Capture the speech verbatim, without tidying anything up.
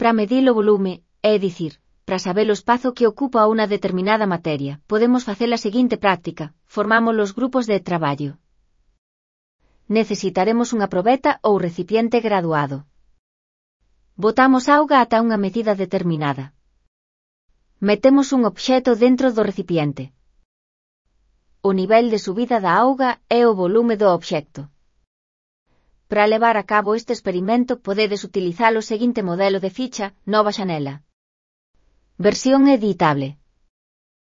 para medir o volume, é dicir, para saber o espazo que ocupa unha determinada materia, podemos facer a seguinte práctica: formamos os grupos de traballo. Necesitaremos unha probeta ou recipiente graduado. Botamos auga ata unha medida determinada. Metemos un obxecto dentro do recipiente. O nivel de subida da auga é o volume do obxecto. Para levar a cabo este experimento podedes utilizar o seguinte modelo de ficha, nova xanela. Versión editable.